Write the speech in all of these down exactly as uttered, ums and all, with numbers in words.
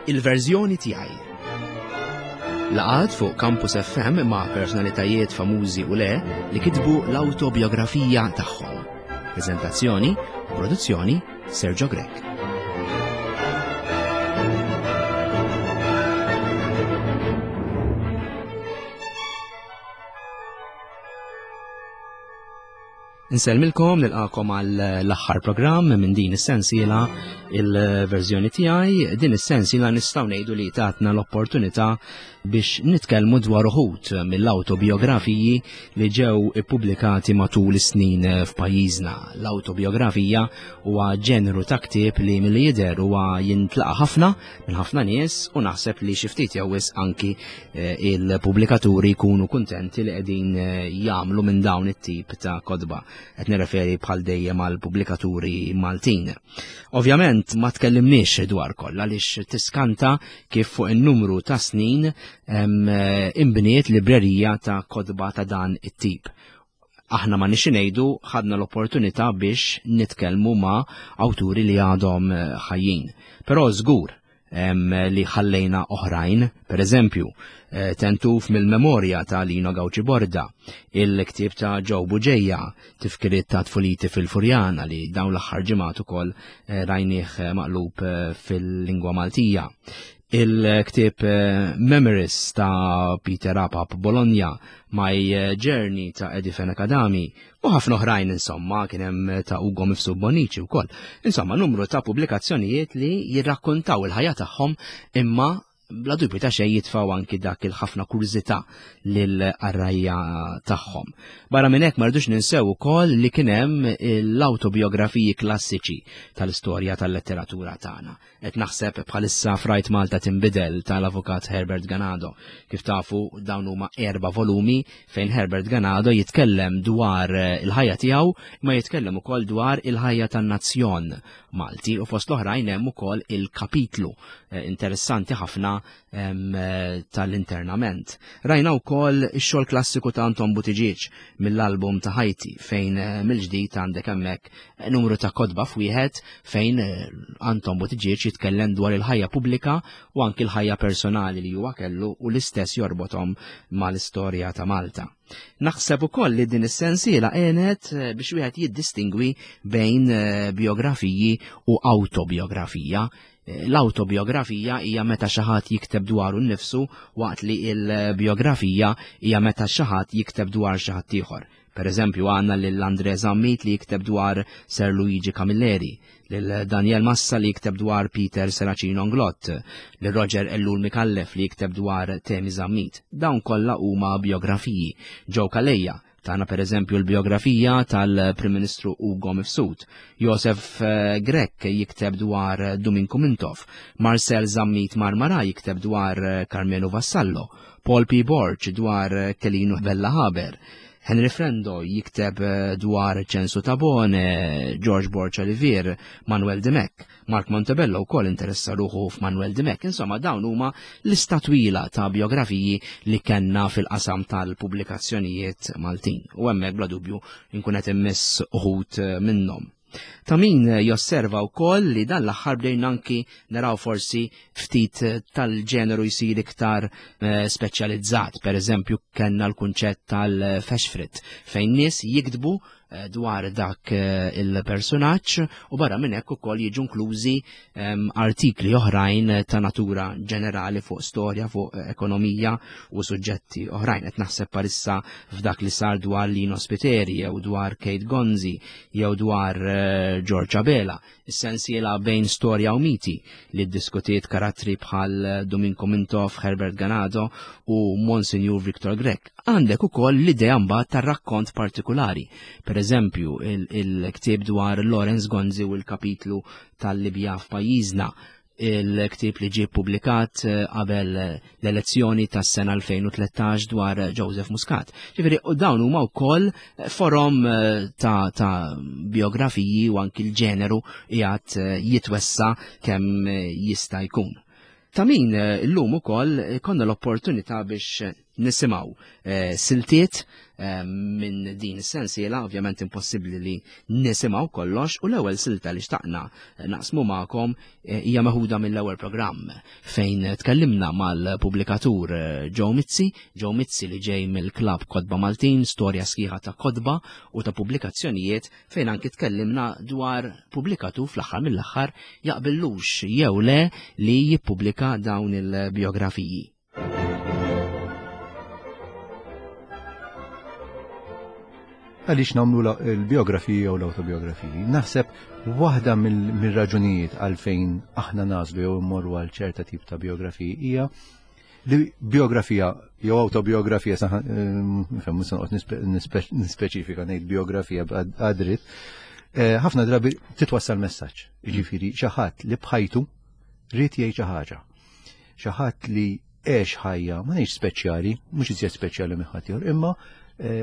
Il-verżjoni tiegħi. Laqgħat fuq Campus F M ma' personalitajiet famużi u le li kitbu l-autobiografija tagħhom. Prezentazzjoni u produzzjoni, Sergio Grech. Insellmilkom, nilqagħkom għal l-aħħar programm minn din is-sensiela, Il-verżjoni tiegħi. Din is-sensiela nistgħu ngħidu li tatna l-opportunità biex nitkellmu dwar uħud mill-autobiografiji li ġew ippubblikati matul is-snin f'pajjiżna. L-autobiografija huwa ġeneru ta' ktieb li milli jidher huwa jintlaqa ħafna minn ħafna nies u naħseb li xi ftit jew wisq anki eh, il-pubblikaturi jkunu kuntenti li qegħdin eh, jagħmlu minn dawn it-tip ta' kotba. Qed nirreferi bħal dejjem għal pubblikaturi Maltin. Ovvjament ma tkellimniex dwar kollha għaliex tiskanta kif fuq in-numru ta' snin eh, imbniet librerija ta' kotba ta' dan it-tip. Aħna ma nixi ngħidu ħadna l-opportunità biex nitkellmu ma' awturi li għadhom eh, ħajjin. Però żgur li ħallejna oħrajn, per eżempju, eh, Tentuf mill-memorja ta' Lino Gauci Borda, il-ktieb ta' Joe Bugeja, Tifkiriet ta' tfuliti fil-Furjana, li dawn l-aħħar ġimgħat ukoll eh, rajnieh maqlub fil-lingwa Maltija. Il-ktieb Memories ta' Peter Apap Bologna, My Journey ta' Eddie Fenech Adami, u ħafna oħrajn. Insomma, kien hemm ta' Ugo Mifsud Bonici wkoll. Insomma, numru ta' pubblikazzjonijiet li jirrakkontaw il-ħajja tagħhom, imma bla dubju ta' xejn jitfaw anki dak il-ħafna kurżità lil-qarrajja tagħhom. Barra minn hekk, ma rridux ninsew ukoll li kien hemm l-autobiografiji klassiċi tal-istorja tal-letteratura tagħna. Qed naħseb bħalissa f'Rajt Malta Tinbidel tal-Avukat Herbert Ganado. Kif tafu, dawn huma erba' volumi fejn Herbert Ganado jitkellem dwar il-ħajja tiegħu, ma jitkellem ukoll dwar il-ħajja tan-nazzjon Malti, u fost l-oħrajn hemm ukoll il-kapitlu eh, interessanti ħafna eh, tal-internament. Rajna wkoll ix-xogħol klassiku ta' Anton Buttigieg, Mill-album ta' ħajti, fejn eh, mill-ġdid għandek hemmhekk numru ta' kotba f'wieħed fejn Anton Buttigieg jitkellem dwar il-ħajja pubblika u anki l-ħajja personali li huwa kellu u l-istess jorbothom mal-istorja ta' Malta. Naħseb ukoll li din is-sensiela għenet eh, biex wieħed jiddistingwi bejn eh, biografiji u autobiografija. Eh, l-autobiografija hija meta xi ħadd jikteb dwaru nnifsu, waqt li l-biografija hija meta xi ħadd jikteb dwar xi ħadd ieħor. Per eżempju, għandna lil Andre Zammit li jikteb dwar Sir Luigi Camilleri, lil Daniel Massa li jikteb dwar Peter Serracino Inglott, lil Roger Ellul Micallef li jikteb dwar Temi Zammit. Dawn kollha huma biografiji. Joe Calleja tana, per eżempju, l-biografija tal-Prim Ministru Ugo Mifsud. Josef eh, Grech jikteb dwar Duminku Mintoff. Marcel Zammit Marmara jikteb dwar Karmenu Vassallo. Paul P. Borg dwar Kelinu Vella Haber. Henry Frendo jikteb eh, dwar Ċensu Tabone, George Borg Olivier, Manuel Dimech. Mark Montebello wkoll interessa ruħu f'Manuel Dimech. Insomma, dawn huma lista twila ta' biografiji li kellna fil-qasam tal-pubblikazzjonijiet Maltin. U hemmhekk bla dubju nkun qed immiss uħud eh, minnhom. Ta' min josserva wkoll li dan l-aħħar bdejna anki naraw forsi ftit tal-ġeneru jsir iktar eh, speċjalizzat. Per eżempju, kellna l-kunċett tal-Feshfrit, fejn nies jiktbu eh, dwar dak eh, il-personaġġ u barra minn hekk ukoll jiġu inklużi ehm, artikli oħrajn ta' natura ġenerali fuq storja, fuq ekonomija u suġġetti oħrajn. Qed naħseb parissa f'dak li sar dwar Lino Spiteri jew dwar Kate Gonzi jew dwar eh, George Abela, is-sensiela Bejn storja u miti li ddiskutiet karattri bħal Duminku Mintoff, Herbert Ganado u Monsignor Victor Grech. Għandek ukoll l-idea mbagħad tar-rakkont partikolari. Per eżempju, il-ktieb dwar Lawrence Gonzi u l-kapitlu tal-Libja f'pajjiżna, il-ktieb li ġie publikat eh, qabel l-elezzjoni tas-sena elfejn u tlettax dwar Joseph Muscat. Ġifieri, u dawn huma wkoll forom eh, ta', ta biografiji u anki l-ġeneru qiegħed eh, jitwessa kemm jista' jkun. Ta' min illum ukoll konna l-opportunità biex nisimgħu siltiet minn din is-sensiela, ovvjament impossibbli li nisimgħu kollox, u l-ewwel silta li xtaqna naqsmu magħkom hija meħuda mill-ewwel programm fejn tkellimna mal-pubblikatur Joe Mizzi, Joe Mizzi li ġej mill-Klabb Kotba Maltin, storja sħiħa ta' kotba u ta' pubblikazzjonijiet, fejn anki tkellimna dwar pubblikatur fl-aħħar mill-aħħar jaqbillux jew le li jippubblika dawn il-biografiji. Għaliex nagħmlu l-biografiji jew l-autobiografiji? Naħseb waħda mill-raġunijiet għalfejn aħna nażlu jew immorru għal ċerta tip ta' biografiji hija li biografija jew autobiografija, nifhem mhux noqgħod nispeċifika ngħid biografija għadrit, ħafna drabi titwassal messaġġ. Jiġifieri xi ħadd li bħajtu ried jgħid xi ħaġa. Xi ħadd li għex ħajja ma ngħidx speċjali, mhux iżjed speċjali minn ħadd ieħor, imma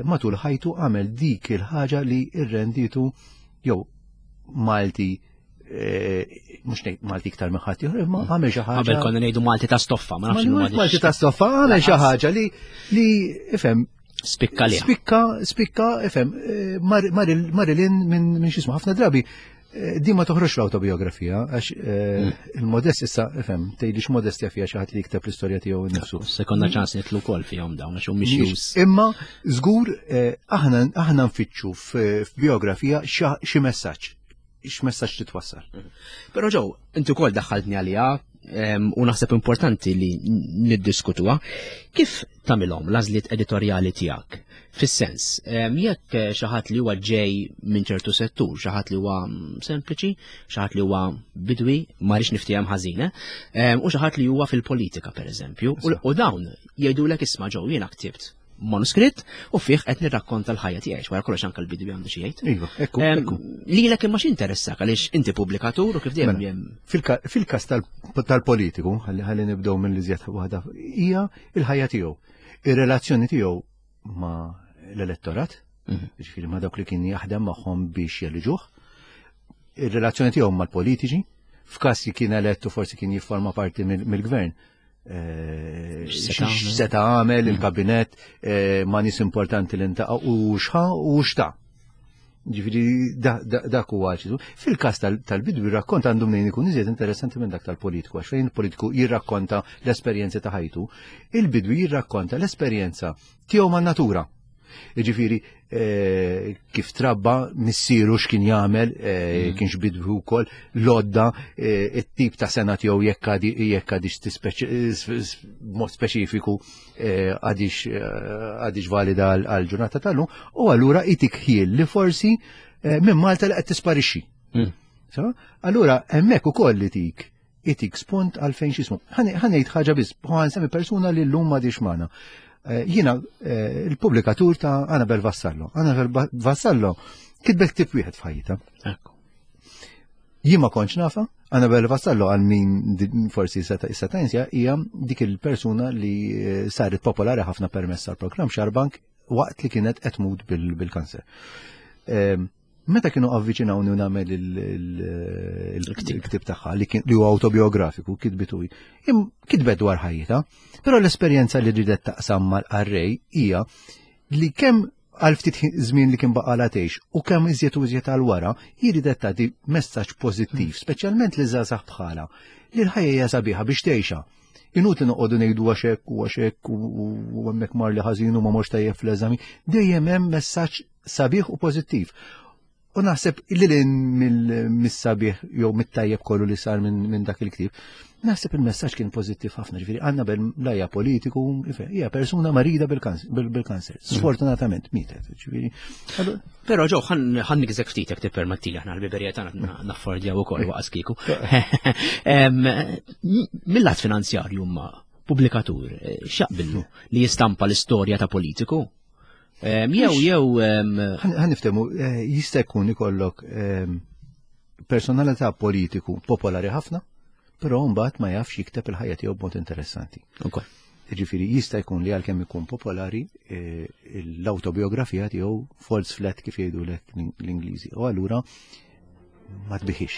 matul ħajtu għamel dik il-ħaġa li rrenditu jew Malti, mhux ngħid Malti iktar minn ħadd ieħor, imma għamel xi ħaġa. Qabel konna ngħidu Malti ta' stoffa, ma nafx Malti ta' stoffa, għamel xi ħaġa li li ifhem spikka li. Spikka, spikka, ifhem, Marilyn minn x'ismu ħafna drabi. Di ma toħroġ l-autobiografija, għax il-modest issa, ifhem, tgħidlix modestja fiha xi ħadd li jikteb l-istorja tiegħu nnifsu. Sekonda ċans nitlu wkoll fihom dawn għax mhumiex jus. Imma żgur aħna aħna nfittxu f'biografija xi messaġġ, x'messaġġ titwassal. Però Joe, inti wkoll daħħaltni għaliha u naħseb importanti li niddiskutuha. Kif tagħmilhom l-għażliet editorjali tiegħek? Fis-sens, jekk xi ħadd li huwa ġej minn ċertu settur, xi ħadd li huwa sempliċi, xi ħadd li huwa bidwi, ma rridx niftiehem ħażin, u xi ħadd li huwa fil-politika pereżempju, u dawn jgħidulek isma' Joe jiena ktibt manuskritt u fih qed nirrakkonta l-ħajja tiegħi, wara kollox anke l-bidwi għandu xi jgħid. Iva, ekku, ekku. Lilek imma x'interessak għaliex inti pubblikatur u kif dejjem hemm. Fil-każ tal-politiku, ħalli nibdew minn li żjed waħda, hija l-ħajja tiegħu, ir-relazzjoni tiegħu ma' l-elettorat, ġifieri ma' dawk li kien jaħdem magħhom biex jeliġuh, ir-relazzjoni tiegħu mal-politiċi, f'każ li kien elettu forsi kien jifforma parti mill-gvern. X'seta għamel il-kabinett ma' nies importanti li ntaqa' u x'ħa u x'ta. Ġifieri dak huwa ċisu. Fil-każ tal-bidwi rakkont għandu mnejn ikun iżjed interessanti minn dak tal-politiku, għax fejn il-politiku jirrakkonta l-esperjenza ta' ħajtu, il-bidwi jirrakkonta l-esperjenza tiegħu man-natura. Ġifieri kif trabba missieru x'kien jagħmel, kienx bidwi wkoll, l-odda, it-tip ta' sena tiegħu jekk għadix mod speċifiku għadix valida għal ġurnata tal-lum, u allura itik ħiel li forsi minn Malta li qed tisparixxi. Allura hemmhekk ukoll li tik itik spunt għalfejn x'ismu. Ħa ngħid ħaġa biss, ħa nsemmi persuna li llum m'għadix magħna. Jiena il-pubblikatur ta' Annabel Vassallo. Annabel Vassallo kitbet ktieb wieħed f'ħajjitha. Jien ma kontx nafha, Annabel Vassallo għal min forsi seta' jinsja hija dik il-persuna li saret popolari ħafna permezz tal-programm Xarbank waqt li kienet qed tmut bil-kanser. Meta kienu avviċinawni u nagħmel il-ktib tagħha li huwa autobiografiku, kitbitu hi. Kitbet dwar ħajjitha, però l-esperjenza li ridet taqsam mal-qarrej hija li kemm għal ftit żmien li kien baqalha tgħix u kemm iżjed u iżjed għal wara, hi ridet tagħti messaġġ pożittiv, speċjalment li żgħażagħ bħalha, li l-ħajja hija sabiħa biex tgħixha. Inutli noqogħdu ngħidu għax hekk u għax hekk u hemmhekk mar li ħażin u ma morx tajjeb fl-eżami, dejjem hemm messaġġ sabiħ u pożittiv. U naħseb li lin mis-sabiħ jew mit-tajjeb kollu li sar minn dak il-ktieb, naħseb il-messaġġ kien pożittiv ħafna, ġifieri Annabel lajja politiku, hija persuna marida bil-kanser. Sfortunatament mietet, ġifieri. Però Joe, ħan nikżek ftit jekk tippermettili, aħna l-biberija tagħna naffordjaw ukoll waqas kieku. Mill-lat finanzjarju ma pubblikatur x'jaqbillu li jistampa l-istorja ta' politiku? Jew jew ħan niftehmu, jista' jkun ikollok personalità politiku popolari ħafna, però mbagħad ma jafx jikteb il-ħajja tiegħu b'mod interessanti. Jiġifieri jista' jkun li għalkemm ikun popolari l-autobiografija tiegħu falls flat kif jgħidulek l-Ingliżi. U allura ma tbiħix.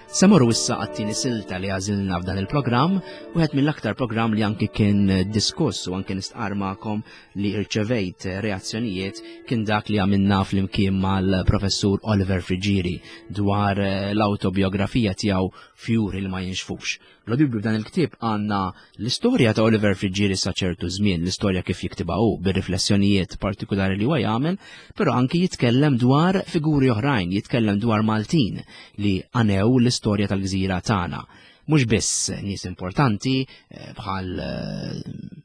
Se morru issa għat-tieni silta li għażilna f'dan il-programm, wieħed mill-aktar programm li anki kien diskuss u anki nistqar magħkom li irċevejt reazzjonijiet kien dak li għamilna flimkien mal-professur Oliver Friggieri dwar l-autobiografija tiegħu Fjuri li ma jinxfux. Bla dubju f'dan il-ktieb għandna l-istorja ta' Oliver Friggieri sa ċertu żmien, l-istorja kif jiktibha hu bir-riflessjonijiet partikolari li huwa jagħmel, però anki jitkellem dwar figuri oħrajn, jitkellem dwar Maltin li għanew l-istorja tal-gżira tagħna. Mhux biss nies importanti bħal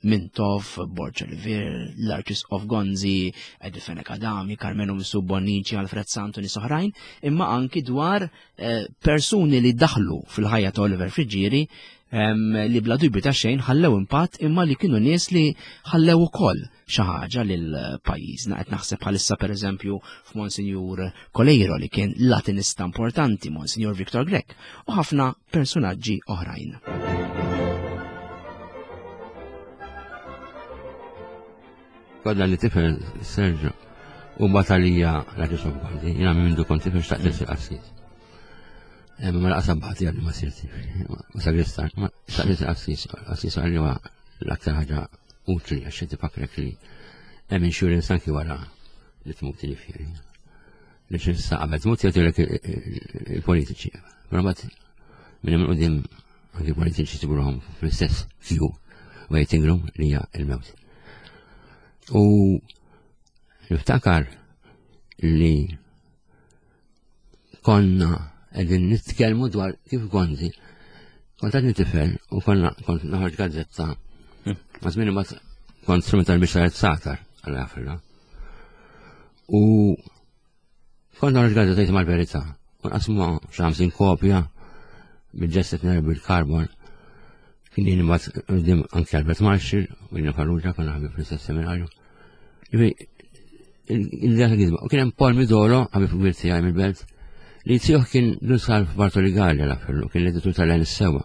Mintoff, Borg Olivier, l-Arċisqof Gonzi, Eddie Fenech Adami, Karmenu Mifsud Bonnici, Alfred Sant u nies oħrajn, imma anki dwar persuni li daħlu fil-ħajja ta' Oliver Friggieri li bla dubju ta' xejn ħallew impatt imma li kienu nies li ħallew ukoll xi ħaġa lil pajjiżna. Qed naħseb bħalissa pereżempju f'Monsinjur Coleiro li kien Latinista importanti, Monsinjur Victor Grech u ħafna personaġġi oħrajn. Kodna li tifel Sergio u batalija l-Arċisqof Gonzi, jiena minn mindu kont tifel xtaqt insir qassis. Ma laqas abbati għalli ma sirti, ma sagristan, ma xtaqt insir qassis, qassis għalli huwa l-aktar ħaġa utli għax inti fakrek li hemm insurance anki wara li tmut ġifieri. Li x'issa qabel tmut jagħtilek il-politiċi. Però mbagħad minn hemm quddiem anki politiċi sibruhom fl-istess queue waiting room li hija l-mewt. U niftakar li konna qegħdin nitkellmu dwar kif Gonzi, kont għadni tifel u konna kont naħorġ gazzetta. Ma żmien imbagħad kont strumental biex saret satar għal Afrika. U kont naħorġ gazzetta jisimha l-Verità. U nqasmu xi ħamsin kopja bil-ġestet ner bil-karbon. Kien jien imbagħad qudiem anke Albert Marshall u Lino Farrugia konna ħabib fl-istess seminarju. Ġifieri il-data għizma. U kien hemm Paul Midolo, ħabib kbir tiegħi mill-belt, li tiegħu kien Dun Salv Bartoli Gallia l-afferlu, kien l-editur tal-Għen is-Sewwa.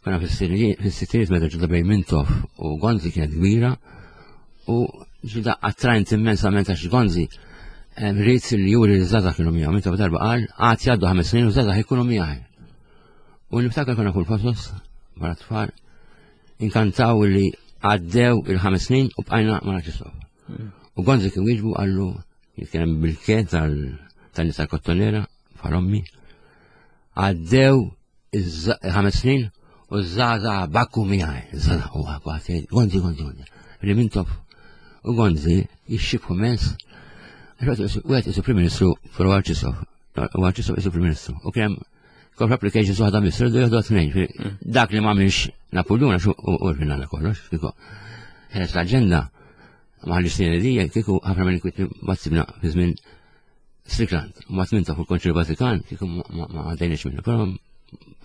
Konna fis-sittinijiet meta ġuda bejn Mintoff u Gonzi kienet kbira u ġuda attrajnt immensament għax Gonzi rrid li juri li żgħażagħ kienu miegħu. Mintoff darba qal għad jgħaddu ħames snin u żgħażagħ ikunu miegħi. U niftakar konna kull fosos wara tfal inkantaw li għaddew il-ħames snin u bqajna ma naċċessawh. U Gonzi kien wieġbu qallu jitkellem bil-kien tal-nisa kottonera bħal ommi. Għaddew il-ħames snin u żgħażagħ bakku miegħi. Żgħażagħ u għati, Gonzi, Gonzi, Gonzi. Li Mintoff u Gonzi jixxibħu mens. Wieħed isu Prim Ministru fuq Arċisqof. U Arċisqof isu Prim Ministru. U kien hemm corporate applications waħda Misru, du jieħdu tnejn. Dak li ma għamilx Napoleon għax u rfinna kollox, kieku ħeres l-aġenda ma ħallix snin li kieku ħafna minn kwiet ma tsibna fi żmien Strickland, u ma tminta fuq il-Konċilju Vatikan, kieku ma għaddejniex minnu, però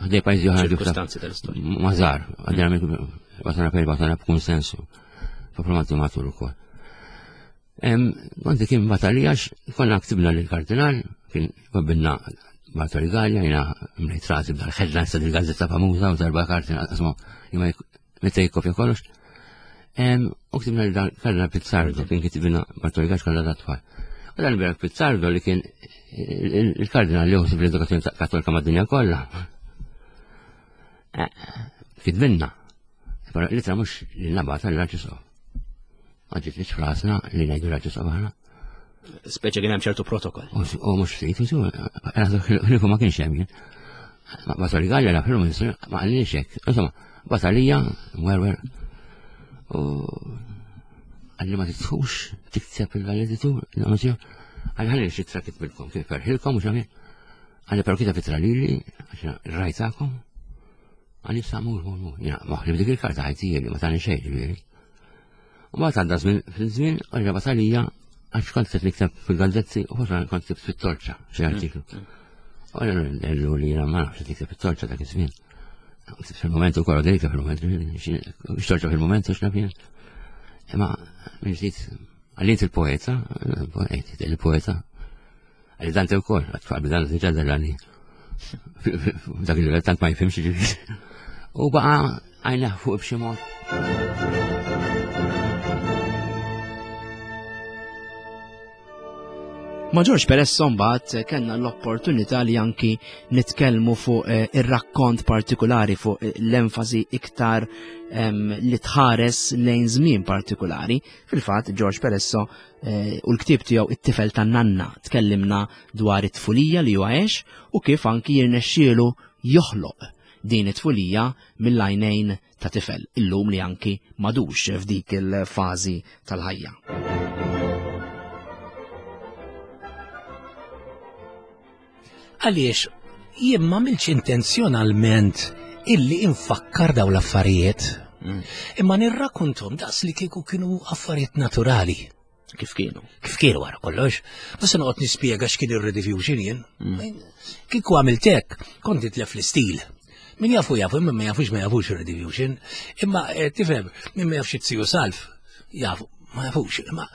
ħdej pajjiżi oħra Ċirkustanzi tal-istorja. Ma żgħar, għaddejna minn batana per batana b'kunsensu, diplomati matur ukoll. Konti kien batalija għax konna ktibna lill-kardinal, kien qabilna Bartoli Gallia, jiena mlejt rasi b'dal-headlines ta' dil-gazzetta famuża u darba kardinal, qasmu, imma meta jikkopja kollox. U ktibna lill-kardinal Pizzardo, kien kitibna Bartoli Gallia x'kollha dat-tfal. U dan Bernard Pizzardo li kien il-kardinal li ħosib l-edukazzjoni kattolika mad-dinja kollha. Kitbinna. Però l-ittra mhux li nabata l-Arċisqof. Ma ġietniex f'rasna li ngħidu l-Arċisqof aħna. Speċa kien hemm ċertu protokoll. U mhux ftit, ħlifu ma kienx hemm jien. Bartoli Gallia la fil ministru ma qalniex hekk. Insomma, batalija, mwerwer. U għalli ma titfux tikteb il-valeditur, għalli ħalli xi tra kitbilkom, kif ferħilkom u xamil. Għalli però kiteb itra lili, għax rajtakom. Għalli sa mur, mur, mur. Jina, maħli b'dik il-karta ħajti li ma tani xejn ġifieri. U mbagħad għadda żmien fil-żmien, għalli batalija, għax kont qed nikteb fil-gazzetti u forsi kont ktibt fit-torċa xi artiklu. U għallu li jiena ma nafx qed nikteb fit-torċa dak iż-żmien. Fil-moment ukoll għadejka fil-moment, x'torċa fil-moment u x'naf jien. Imma minn ġdid għallint il-poeta, il-poeta, għalli Dante wkoll, għatfaq b'dan diġà dellani. Dak il-livell tant ma jifhimx ġifieri. U baqa' għajneh fuq b'xi mod. Ma' George Peresso mbagħad kellna l-opportunità li anki nitkellmu fuq eh, ir-rakkont partikolari, fuq eh, l-enfasi iktar li tħares lejn żmien partikolari. Fil-fatt George Peresso eh, u l-ktieb tiegħu It-tifel tan-nanna tkellimna dwar it-tfulija li huwa għex u kif anki jirnexxielu joħloq din it-tfulija mill-għajnejn ta' tifel illum li anki madux f'dik il-fażi tal-ħajja. Għaliex jien ma għamiltx intenzjonalment illi infakkar daw l-affarijiet, mm. imma nirrakkontom daqs li kieku kienu affarijiet naturali. Kif kienu? Kif kienu wara kollox. Ma se noqgħod nispjega x'kien ir-rediffusion jien. Mm. Kieku għamilt hekk, kont nitlef l-istil. Min jafu jafu, imma ma jafux ma jafux ir-rediffusion. Imma eh, tifhem, min ma jafx it-siju salf, jafu. Ma jafux, imma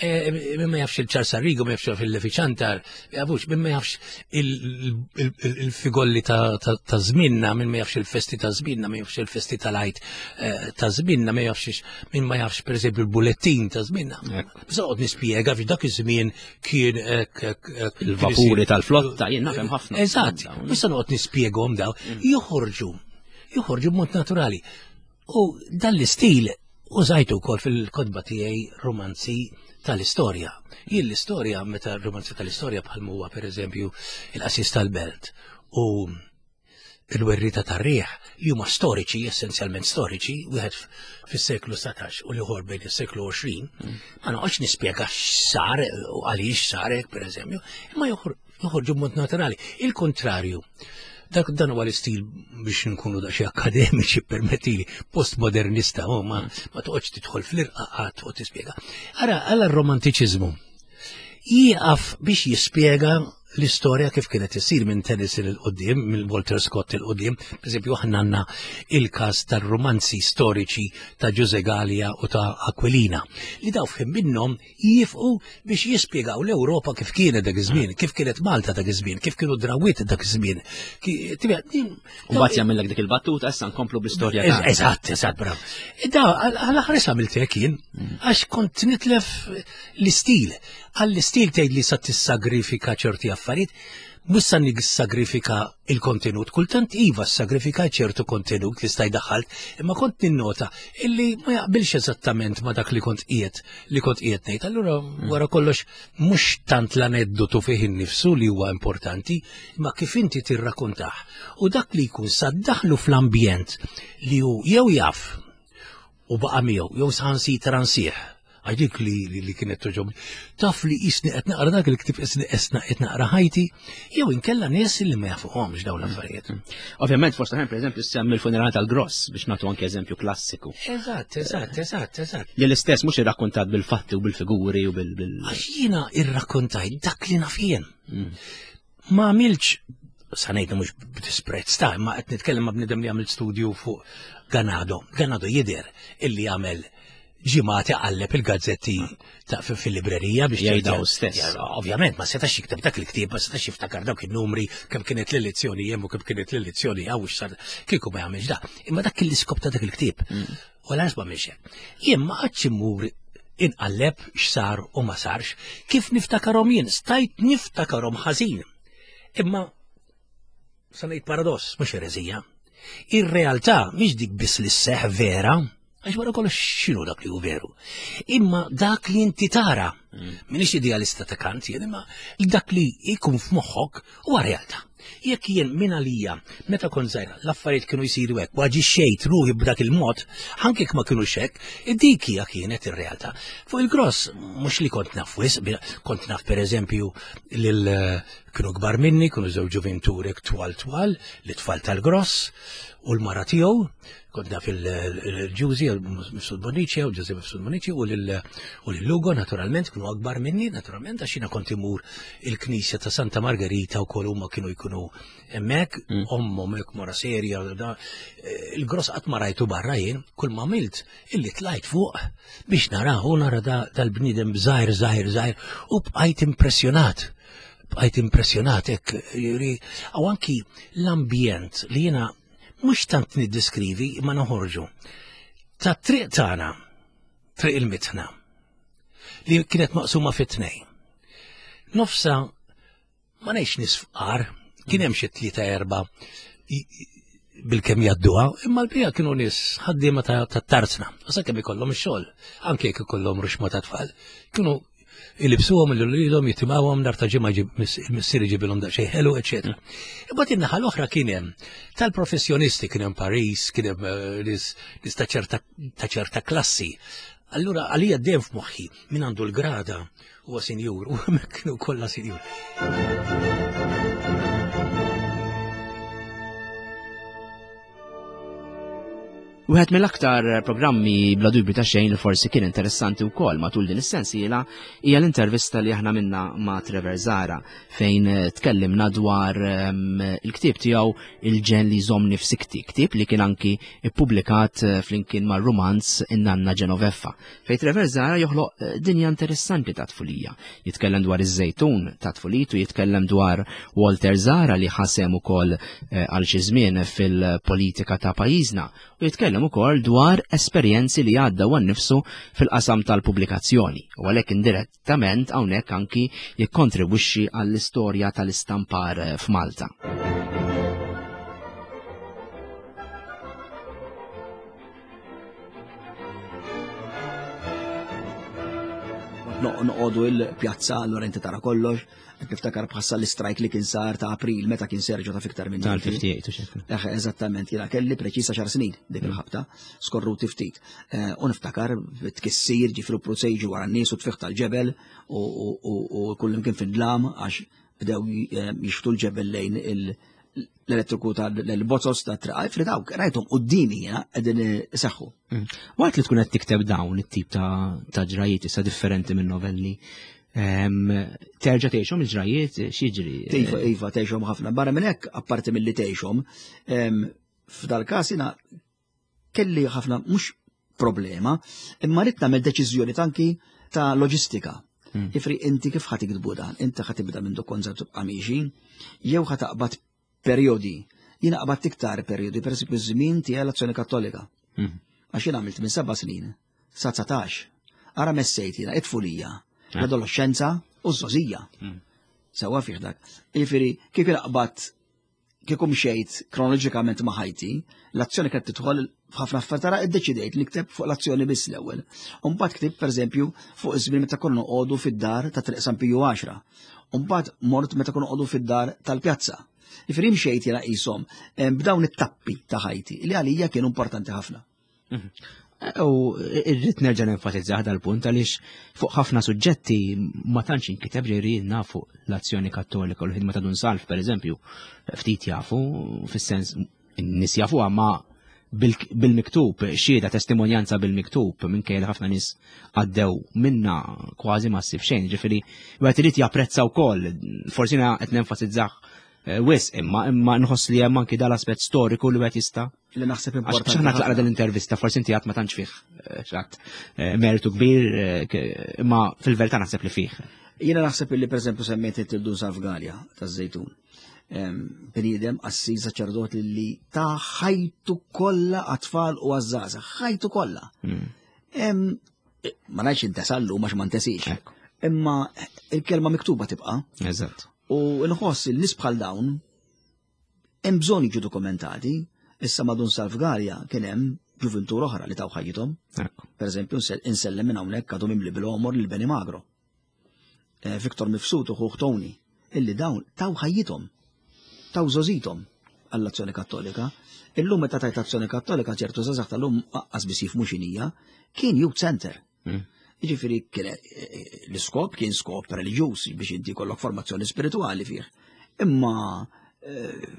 eh, min ma jafx il-Charles Arrigo, ma jafx il-Lefi Ċantar, ma jafux, min ma jafx il-figolli ta' żminna, min ma jafx il-festi ta' żminna, ma jafx il-festi tal-Għid eh, ta' żminna, ma jafx min ma jafx pereżempju il-bulettin ta' żminna. Bżonn noqgħod nispjega f'dak dak iż-żmien kien il-vapuri tal-flotta, jien nafhem ħafna. Eżatt, biex noqgħod nispjegahom daw, joħorġu, joħorġu b'mod naturali. U dan l-istil użajtu wkoll fil-kotba tiegħi romanzi tal-istorja. Jien l-istorja, meta romanzi tal-istorja bħal huwa pereżempju il-Qassis tal-Belt u il-Werrieta tar-Riħ, li huma storiċi, essenzjalment storiċi, wieħed fis-seklu satax u l-ieħor bejn is-seklu għoxrin, ma noqgħodx nispjega x'sar u għaliex sar hekk pereżempju, imma joħorġu b'mod naturali. Il-kontrarju, dak dan huwa l-istil biex nkunu daqsxejn akademiċi permettili, postmodernista, oh, ma, ma toqgħodx tidħol fl-irqaqat u tispjega. Ara, għala r-romantiċiżmu jieqaf biex jispjega l-istorja kif kienet isir minn Tennyson il-qudiem, minn Walter Scott il-qudiem. Per eżempju, aħna għandna il-każ tar-romanzi storiċi ta' Ġuże Gallia u ta' Aquilina, li daw f'ħin minnhom jifqu biex jispjegaw l-Ewropa kif kienet dak iż-żmien, kif kienet Malta dak iż-żmien, kif kienu drawiet dak iż-żmien. U mbagħad jagħmellek dik il-battuta, issa nkomplu bl-istorja tagħna. Eżatt, eżatt, bravo. Da, għal-aħħar għamilt hekk jien, għax kont nitlef l-istil. Għall-istil tgħid li sa tissagrifika ċerti affarijiet, mhux sa nissagrifika il-kontenut. Kultant iva sagrifika ċertu kontenut li staj daħalt, imma kont ninnota illi ma jaqbilx eżattament ma dak li kont qiegħed li kont qiegħed ngħid. Allura wara kollox mhux tant l-aneddotu fih innifsu li huwa importanti, imma kif inti tirrakkontah. U dak li jkun saddaħlu fl-ambjent li hu jew jaf u baqa' miegħu jew saħansitra nsieħ. Għax dik li, li, li kienet toġobni. Taf li jisni qed naqra dak il-ktieb isni esna qed naqra ħajti, jew inkella nies li ma jafuhomx dawn l-affarijiet. Ovvjament, fost oħrajn, pereżempju, semmi l-funeral tal-Gross biex nagħtu anke eżempju klassiku. Eżatt, eżatt, eżatt, eżatt. Li l-istess mhux irrakkontat bil-fatti u bil-figuri u bil-, bil Għax jiena irrakkontajt dak li naf jien. Ma għamilx, sa ngħidu mhux b'disprezz ta' imma qed nitkellem ma' bniedem li għamil studju fuq Ganado. Ganado jidher illi għamel ġimgħat iqalleb il-gazzetti ta' fil-librerija biex Jgħidaw jgħid- stess. Ja, ovvjament, ma setax jikteb dak il-ktieb, ma setax jiftakar dawk in-numri, kemm kienet l-elezzjoni hemm u kemm kienet l-elezzjoni hawn x'sar, kieku ma jagħmilx da. Imma dak kien l-iskop ta' dak il-ktieb. U lanqas ma għamilx hekk. Jien ma qgħadx immur inqalleb x'sar u ma sarx, kif niftakarhom jien, stajt niftakarhom ħażin. Imma sa ngħid paradoss, mhux ereżija. Ir-realtà mhix dik biss li sseħħ vera, għax wara kollox x'inhu dak li hu veru. Imma dak li inti tara, m'iniex idealista ta' Kant jien, imma dak li jkun f'moħħok huwa realtà. Jekk jien minn għalija, meta kont żgħira, l-affarijiet kienu jsiru hekk, u aġixxejt ruħi b'dak il-mod, anke jekk ma kinux hekk, dik hija kienet ir-realtà. Fuq il-gross, mhux li kont naf wisq, kont naf pereżempju lil kienu kbar minni, kienu żewġ ġuventuri twal twal, li tfal tal-gross, u l-mara tiegħu, kont naf il-Ġużi, il-Mifsud Bonnici, u Ġużi Mifsud Bonnici, u lil-Lugo, naturalment, kienu akbar minni, naturalment, għax jiena kont imur il-Knisja ta' Santa Margherita u kol huma kienu jkunu hemmhekk, ommhom hekk mara serja, da, il-gross qatt ma rajtu barra jien, kull ma għamilt illi tlajt fuq biex narahu, nara dal-bniedem żgħir, żgħir, żgħir, u bqajt impressjonat. Bqajt impressjonat hekk, jiġifieri, u anki l-ambjent li jiena mhux tant niddeskrivi imma noħorġu. Ta' triq tagħna, triq il-mitħna, li kienet maqsuma fit-tnejn. Nofsa ma ngħidx nies fqar, kien hemm xi tlieta erba' bil-kemm jgħadduha, imma l-bija kienu nies ħaddiema ta' tarzna, u sakemm ikollhom ix-xogħol, anke jekk ikollhom ruxma ta' tfal. Kienu ilibsuhom lil uliedhom, jitimgħuhom nhar ta' ġimgħa il-missier iġibilhom daqsxejn ħelu, eċetera. Imbagħad in-naħa l-oħra kien hemm tal-professjonisti, kien hemm Paris, kien hemm eh, nies ta' ċerta klassi. Allura għalija dejjem f'moħħi min għandu l-grada huwa sinjur, u hemmhekk kienu kollha sinjur. Wieħed mill-aktar programmi bla dubju ta' xejn li forsi kien interessanti wkoll matul din is-sensiela hija l-intervista li aħna minna ma' Trevor Zahra fejn tkellimna dwar il-ktieb tiegħu Il-ġen li jżommni f'sikti, ktieb li kien anki ippubblikat flimkien mar-rumanz In-Nanna Genoveffa, fejn Trevor Zahra joħloq dinja interessanti ta' tfulija. Jitkellem dwar iż-żejtun ta' tfulitu, jitkellem dwar Walter Zahra li ħasem ukoll għal xi żmien fil-politika ta' pajjiżna, u jitkellem ukoll dwar esperjenzi li għadda huwa nnifsu fil-qasam tal-pubblikazzjoni, u għalhekk indirettament hawnhekk anki jikkontribwixxi għall-istorja tal-istampar f'Malta. Noqogħdu il-pjazza, allura inti tara kollox, qed niftakar bħassa l-istrajk li kien sar ta' April meta kien Sergio ta' fiktar minn tal-ħamsa u ħamsin. Eh, eżattament, jiena kelli preċisa xar snin dik il-ħabta, skorruti ftit. U niftakar tkissir, ġifru prusejġi wara n-nies u tfiħ tal-ġebel u kullim kien fid-dlam għax bdew jixftu l-ġebel lejn l-elettriku tal-bozzos ta' triqa, fri dawk, rajthom qudiemi jiena qegħdin iseħħu. Waqt li tkun qed tikteb dawn it-tip ta' ġrajiet issa differenti minn novelli, terġa' tgħixhom il-ġrajiet x'jiġri? Iva, iva, tgħixhom ħafna. Barra minn hekk, apparti milli tgħixhom, f'dal-każ jiena kelli ħafna mhux problema, imma rrid nagħmel deċiżjoni tanki ta' loġistika. Ifri inti kif ħa tiktbu dan? Inti ħa tibda minn dokonza tibqa' miexi, jew ħa taqbad periodi. Jiena qbadt iktar periodi, per esempio żmien tiegħi l-Azzjoni Kattolika. Għax jien għamilt minn seba' snin sa dsatax. Ara messejt jiena it-tfulija, l-adolescenza u ż-żgħożija. Sewwa fih dak. Jiġifieri kif jiena qbadt kieku mxejt kronoloġikament ma' ħajti, l-azzjoni kienet tidħol f'ħafna affarijiet, tara iddeċidejt li kteb fuq l-azzjoni biss l-ewwel. U mbagħad ktibt pereżempju fuq iż-żmien meta konna noqogħdu fid-dar ta' Triq San Piju għaxra. U mbagħad mort meta konna noqogħdu fid-dar tal-pjazza. Jiġifieri mxejt jiena qishom b'dawn it-tappi ta' ħajti li għalija kienu importanti ħafna. U irrid nerġa' nenfasizza dal-punt għaliex fuq ħafna suġġetti ma tantx inkiteb ġejri nafu l-Azzjoni Kattolika u l-ħidma ta' Dun Salv pereżempju, ftit jafu, fis-sens n-nies jafuha ma bil-miktub, xhieda testimonjanza bil-miktub minkejja li ħafna nies għaddew minna kważi ma ssib xejn, ġifieri wieħed irid japprezza wkoll, forsi qed nenfasizzah wisq imma imma nħoss li hemm anki dal-aspett storiku li wieħed jista' li naħseb importanti. Għax aħna tlaqna dal-intervista, forsi inti għad ma tantx fih xatt mertu kbir, imma fil-verità naħseb li fih. Jiena naħseb li pereżempju semmejt il-Dun Salv Galea taż-Żejtun. Bniedem qassis saċerdot li ta' ħajtu kollha għat-tfal u għaż-żgħażagħ, ħajtu kollha. Ma ngħidx intesallu għax ma ntesix. Imma il-kelma miktuba tibqa'. Eżatt. U nħoss il-nies bħal dawn hemm bżonn jiġu dokumentati. Issa ma' Dun Salv Galea kien hemm ġuventur oħra li taw ħajjithom. Per eżempju, insellem minn hawnhekk għadhom imli bil-għomor lil Beni Magro. Viktor Mifsud u ħuh Tony, illi dawn taw ħajjithom, taw żożithom għall-Azzjoni Kattolika. Illum meta tajt Azzjoni Kattolika ċertu żgħażagħ tal-lum aqqas biss jifhmu x'inhija, kien youth center. Jiġifieri l-iskop kien skop reliġjuż biex inti jkollok formazzjoni spirituali fih. Imma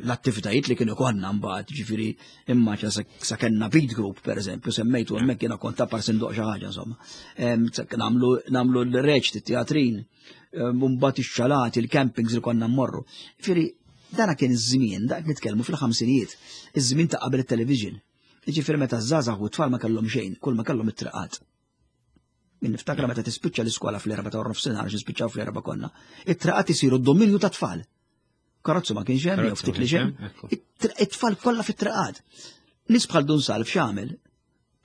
l-attivitajiet li kienu konna mbagħad, ġifieri imma sa kellna beat group pereżempju, semmejtu hemmhekk jiena kont tapar sindoq xi ħaġa insomma. Nagħmlu l-reċti, teatrin, mbagħad ix-xalati, il-campings li konna mmorru. Ġifieri dana kien iż-żmien, dak nitkellmu fil-ħamsinijiet, iż-żmien ta' qabel it-television. Ġifieri meta ż-żgħażagħ u t-tfal ma kellhom xejn, kull ma kellhom it-triqat. Min niftakra meta tispiċċa l-iskola fl-erba' ta' nofsinhar għax nispiċċaw fl-erba' konna. It-triqat isiru d-dominju ta' tfal. Karozzu ma kienx hemm, jew ftit li xejn. It-tfal kollha fit-triqat. Nies bħal Dun Salv x'għamel?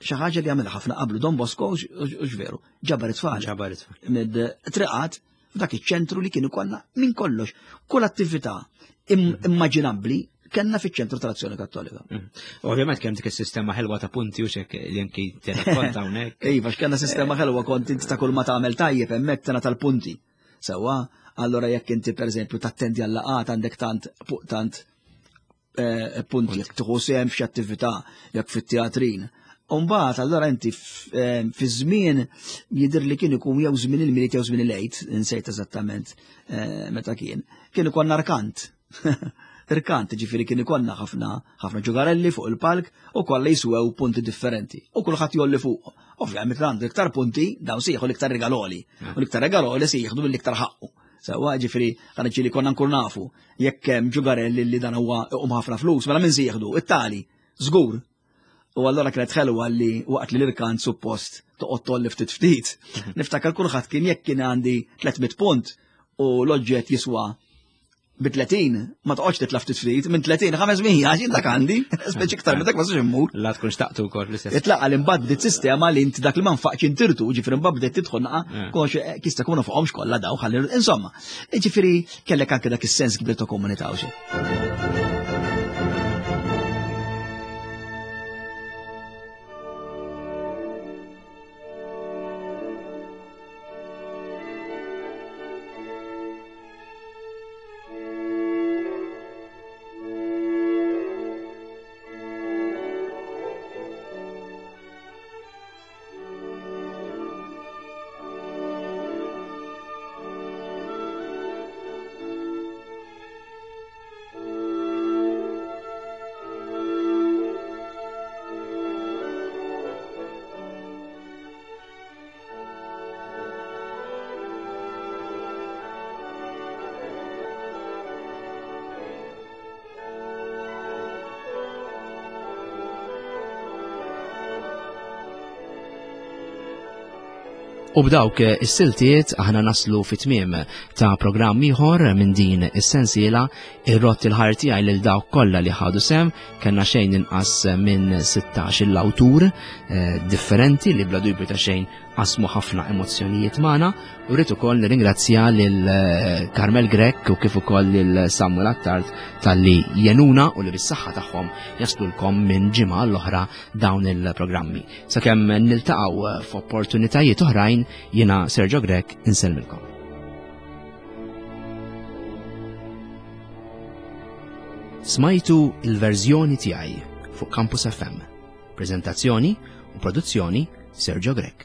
Xi ħaġa li għamilha ħafna qablu Don Bosco u x'veru, ġabar it-tfal. Ġabar it-tfal. Mid-triqat F'dak iċ-ċentru li kien ikollna minn kollox, kull attività immaġinabbli kellna fiċ-ċentru tal-Azzjoni Kattolika. Ovvjament kemm dik is-sistema ħelwa ta' punti u xek li anki tirrakkonta hawnhekk. Iva, x'kellna sistema ħelwa kont inti ta' kull ma tagħmel tajjeb hemmhekk tena tal-punti. Sewwa, allora jekk inti pereżempju tattendi għal laqgħat għandek tant tant punti, jekk tieħu sehem f'xi attività, jekk fit-teatrin. Umbagħad allora inti fi żmien jidher li kien ikun jew żmien il-Milied jew żmien il-Għid, insejt eżattament meta kien, kien ikun arkant. Irkant, ġifieri kien ikollna ħafna ħafna ġugarelli fuq il-palk u kollha jiswew punti differenti. U kulħadd jolli fuq. Ovvjament għandu iktar punti, dawn se jieħu l-iktar regaloli. U l-iktar regaloli se jieħdu mill-iktar ħaqqu. Sewwa, ġifieri ħaneġġi li konna nkun nafu jekk hemm ġugarelli li dan huwa iqum ħafna flus, mela min se jieħdu? It-tali, żgur. U allora kienet ħelwa li waqt li l-irkant suppost toqgħod tolli ftit ftit. Niftakar kulħadd kien jekk kien għandi tliet mitt punt u l-oġġett jiswa bi tletin, ma toqgħodx titla' ftit ftit, minn tletin ħames mija għax dak għandi, speċi iktar minn dak ma sax immur. La tkun xtaqtu wkoll l-istess. Itlaqa li mbagħad bdiet sistema li inti dak li ma nfaqx intirtu, ġifieri mbagħad bdiet tidħol naqa' konx kista kunu fuqhomx kollha daw ħalli insomma. Ġifieri kellek anke dak is-sens kbir ta' komunità u xi. U b'dawk is-siltiet aħna naslu fit-tmiem ta' programm ieħor minn din is-sensiela. Ir-rott il-ħar tiegħi lil dawk kollha li ħadu sem, kellna xejn inqas minn sittax il-awtur differenti li bla dubju ta' xejn qasmu ħafna emozzjonijiet magħna. U rrid ukoll nirringrazzja lil Carmel Grech u kif ukoll lil Samuel Attard talli jenuna u li bis-saħħa tagħhom jaslulkom minn ġimgħa l-oħra dawn il-programmi. Sakemm niltaqgħu f'opportunitajiet oħrajn, jiena Sergio Grech insellmilkom. Smajtu il-verżjoni tiegħi fuq Campus F M. Prezentazzjoni u produzzjoni Sergio Grech.